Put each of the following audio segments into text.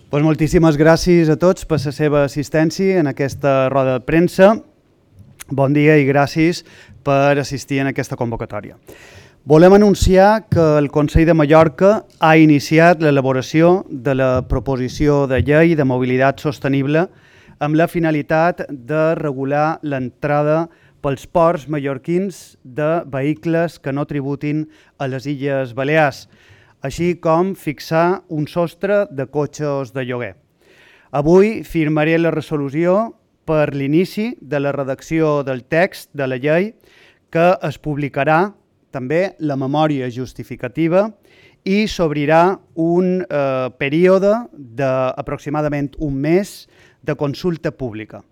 Doncs moltíssimes gràcies a tots per la seva assistència en aquesta roda de premsa. Bon dia i gràcies per assistir en aquesta convocatòria. Volem anunciar que el Consell de Mallorca ha iniciat l'elaboració de la proposició de llei de mobilitat sostenible amb la finalitat de regular l'entrada pels ports mallorquins de vehicles que no tributin a les Illes Balears, així com fixar un sostre de cotxes de lloguer. Avui firmaré la resolució per l'inici de la redacció del text de la llei, que es publicarà també la memòria justificativa i s'obrirà un període d'aproximadament un mes de consulta pública.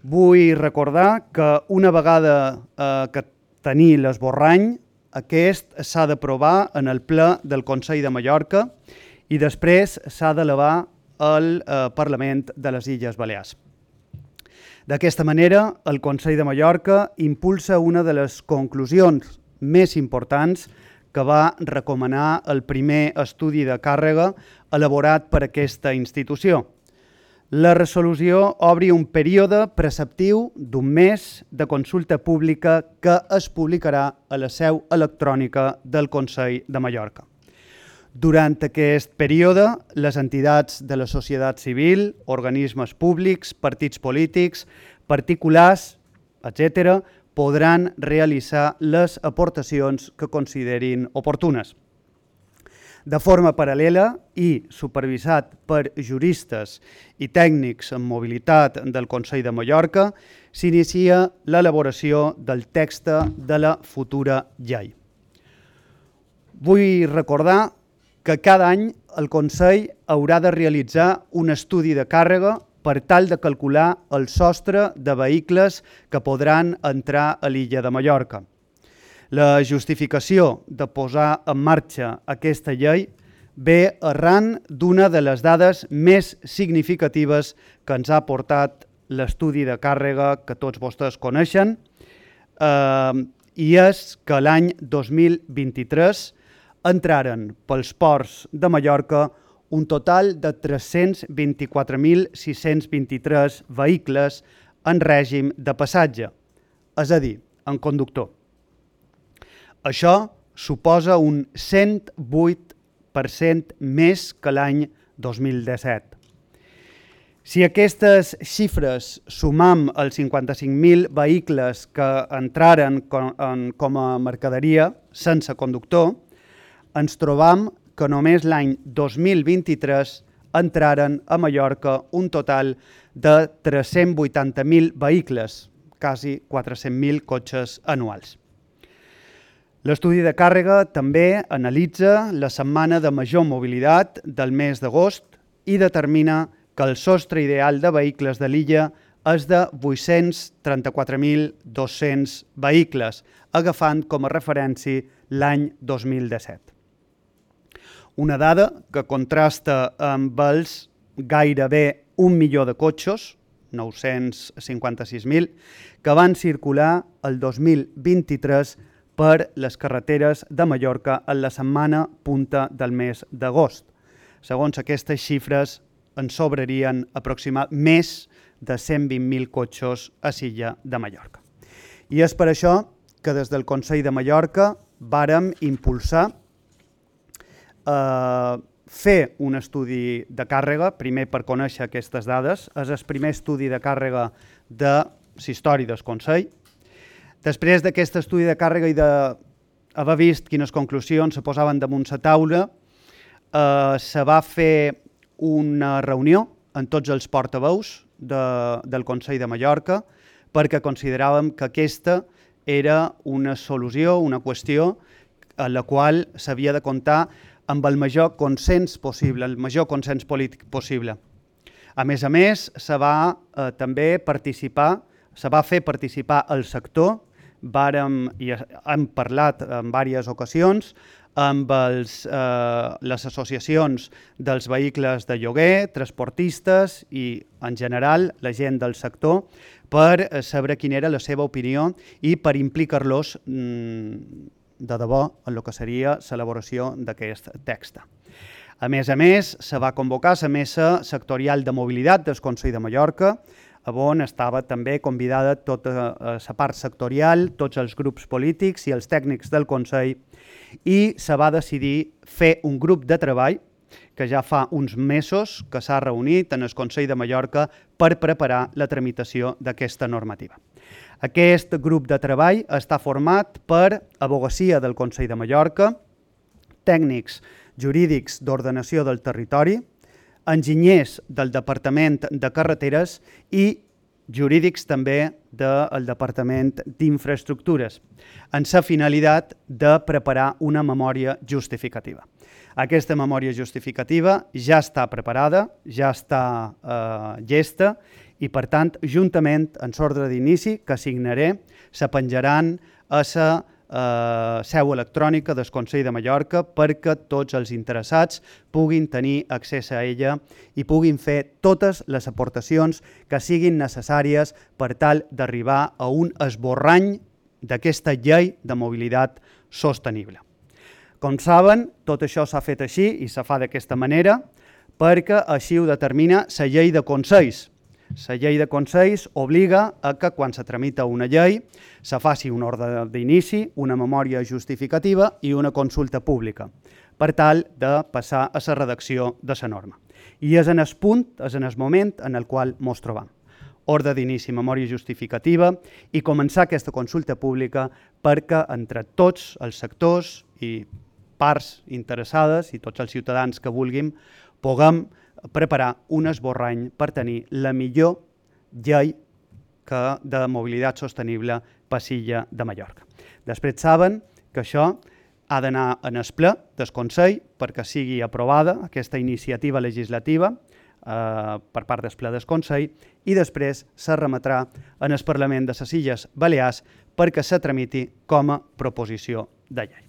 Vull recordar que una vegada que tenir l'esborrany, aquest s'ha d'aprovar en el ple del Consell de Mallorca i després s'ha d'elevar al Parlament de les Illes Balears. D'aquesta manera, el Consell de Mallorca impulsa una de les conclusions més importants que va recomanar el primer estudi de càrrega elaborat per aquesta institució. La resolució obre un període preceptiu d'un mes de consulta pública que es publicarà a la seu electrònica del Consell de Mallorca. Durant aquest període, les entitats de la societat civil, organismes públics, partits polítics, particulars, etc., podran realitzar les aportacions que considerin oportunes. De forma paral·lela i supervisat per juristes i tècnics en mobilitat del Consell de Mallorca, s'inicia l'elaboració del text de la futura llei. Vull recordar que cada any el Consell haurà de realitzar un estudi de càrrega per tal de calcular el sostre de vehicles que podran entrar a l'illa de Mallorca. La justificació de posar en marxa aquesta llei ve arran d'una de les dades més significatives que ens ha portat l'estudi de càrrega que tots vostès coneixen, i és que l'any 2023 entraren pels ports de Mallorca un total de 324.623 vehicles en règim de passatge, és a dir, en conductor. Això suposa un 108% més que l'any 2017. Si aquestes xifres sumam els 55.000 vehicles que entraren com a mercaderia sense conductor, ens trobam que només l'any 2023 entraren a Mallorca un total de 380.000 vehicles, quasi 400.000 cotxes anuals. L'estudi de càrrega també analitza la setmana de major mobilitat del mes d'agost i determina que el sostre ideal de vehicles de l'illa és de 834.200 vehicles, agafant com a referència l'any 2017. Una dada que contrasta amb els gairebé 1 milió de cotxes, 956.000, que van circular el 2023 per les carreteres de Mallorca en la setmana punta del mes d'agost. Segons aquestes xifres, ens sobrarien aproximadament més de 120.000 cotxes a l'illa de Mallorca. I és per això que des del Consell de Mallorca vàrem impulsar fer un estudi de càrrega, primer per conèixer aquestes dades, és el primer estudi de càrrega de la història del Consell. Després d'aquest estudi de càrrega i d'haver vist quines conclusions se posaven damunt la taula, se va fer una reunió amb tots els portaveus del Consell de Mallorca perquè consideràvem que aquesta era una solució, una qüestió en la qual s'havia de comptar amb el major consens possible, el major consens polític possible. A més, se va també fer participar el sector, hem parlat en diverses ocasions amb les associacions dels vehicles de lloguer, transportistes i, en general, la gent del sector per saber quina era la seva opinió i per implicar-los de debò en el que seria l'elaboració d'aquest text. A més, se va convocar la mesa sectorial de mobilitat del Consell de Mallorca, on estava també convidada tota la part sectorial, tots els grups polítics i els tècnics del Consell, i se va decidir fer un grup de treball que ja fa uns mesos que s'ha reunit en el Consell de Mallorca per preparar la tramitació d'aquesta normativa. Aquest grup de treball està format per advocacia del Consell de Mallorca, tècnics jurídics d'ordenació del territori, enginyers del Departament de Carreteres i jurídics també del Departament d'Infraestructures, amb la finalitat de preparar una memòria justificativa. Aquesta memòria justificativa ja està preparada, ja està llesta i, per tant, juntament amb l'ordre d'inici que signaré, se penjaran a la seu electrònica del Consell de Mallorca perquè tots els interessats puguin tenir accés a ella i puguin fer totes les aportacions que siguin necessàries per tal d'arribar a un esborrany d'aquesta llei de mobilitat sostenible. Com saben, tot això s'ha fet així i se fa d'aquesta manera perquè així ho determina la llei de consells. La llei de consells obliga a que quan se tramita una llei se faci un ordre d'inici, una memòria justificativa i una consulta pública per tal de passar a la redacció de la norma. I és en el punt, és en el moment en el qual ens trobam. Ordre d'inici, memòria justificativa i començar aquesta consulta pública perquè entre tots els sectors i parts interessades i tots els ciutadans que vulguin puguem preparar un esborrany per tenir la millor llei de mobilitat sostenible per l'illa de Mallorca. Després saben que això ha d'anar en el ple del Consell perquè sigui aprovada aquesta iniciativa legislativa per part del ple del Consell i després se remetrà en el Parlament de les Illes Balears perquè se tramiti com a proposició de llei.